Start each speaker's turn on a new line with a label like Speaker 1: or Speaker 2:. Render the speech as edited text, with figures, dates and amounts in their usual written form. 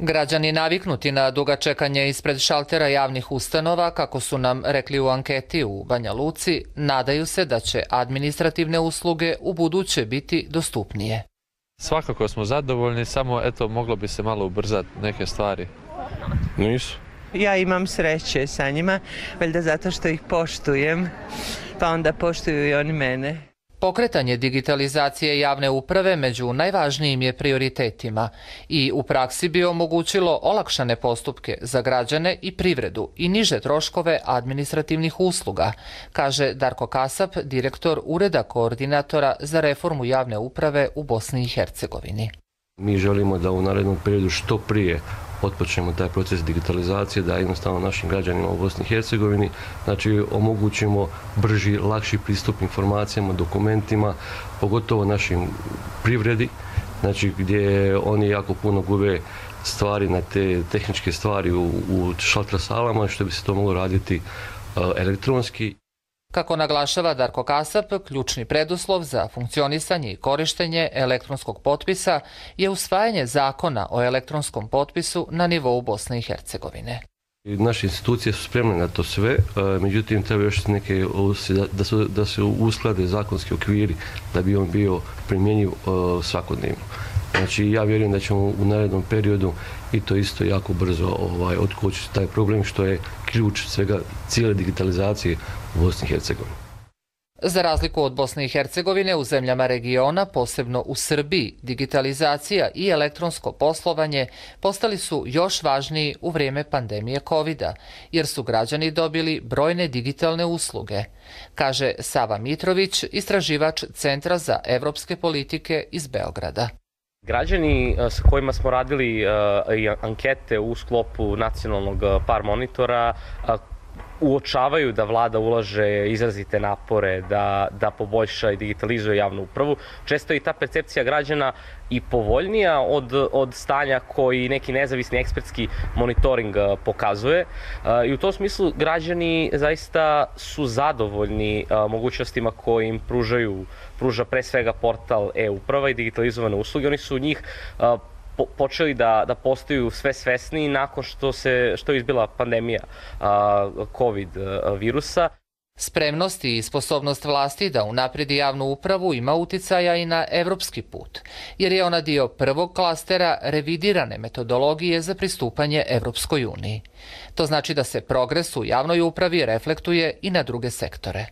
Speaker 1: Građani naviknuti na duga čekanja ispred šaltera javnih ustanova, kako su nam rekli u anketi u Banja Luci, nadaju se da će administrativne usluge u buduće biti dostupnije.
Speaker 2: Svakako smo zadovoljni, samo moglo bi se malo ubrzati neke stvari.
Speaker 3: Nisu.
Speaker 4: Ja imam sreće sa njima, valjda zato što ih poštujem, pa onda poštuju i oni mene.
Speaker 1: Pokretanje digitalizacije javne uprave među najvažnijim je prioritetima i u praksi bi omogućilo olakšane postupke za građane i privredu i niže troškove administrativnih usluga, kaže Darko Kasap, direktor Ureda koordinatora za reformu javne uprave u Bosni i Hercegovini.
Speaker 3: Mi želimo da u narednom periodu što prije otpočnemo taj proces digitalizacije, da jednostavno našim građanima u Bosni i Hercegovini omogućimo brži, lakši pristup informacijama, dokumentima, pogotovo našim privredi, gdje oni jako puno gube stvari na te tehničke stvari u šalter salama, što bi se to moglo raditi elektronski.
Speaker 1: Kako naglašava Darko Kasap, ključni preduslov za funkcionisanje i korištenje elektronskog potpisa je usvajanje zakona o elektronskom potpisu na nivou Bosne i Hercegovine.
Speaker 3: Naše institucije su spremne na to sve, međutim treba još neke da se usklade zakonski okviri da bi on bio primjenjiv svakodnevno. Ja vjerujem da ćemo u narednom periodu i to isto jako brzo otkočiti taj problem, što je ključ svega cijele digitalizacije u Bosni i Hercegovini.
Speaker 1: Za razliku od Bosne i Hercegovine, u zemljama regiona, posebno u Srbiji, digitalizacija i elektronsko poslovanje postali su još važniji u vrijeme pandemije COVID-a, jer su građani dobili brojne digitalne usluge, kaže Sava Mitrović, istraživač Centra za evropske politike iz Beograda.
Speaker 5: Građani sa kojima smo radili ankete u sklopu nacionalnog par monitora uočavaju da vlada ulaže izrazite napore da poboljša i digitalizuje javnu upravu. Često je i ta percepcija građana i povoljnija od stanja koji neki nezavisni ekspertski monitoring pokazuje. I u tom smislu građani zaista su zadovoljni mogućnostima koje im pruža pre svega portal e-uprava i digitalizovane usluge. Oni su njih počeli da postaju sve svesniji nakon što je izbila pandemija COVID virusa.
Speaker 1: Spremnost i sposobnost vlasti da unapredi javnu upravu ima uticaja i na evropski put, jer je ona dio prvog klastera revidirane metodologije za pristupanje Evropskoj uniji. To znači da se progres u javnoj upravi reflektuje i na druge sektore.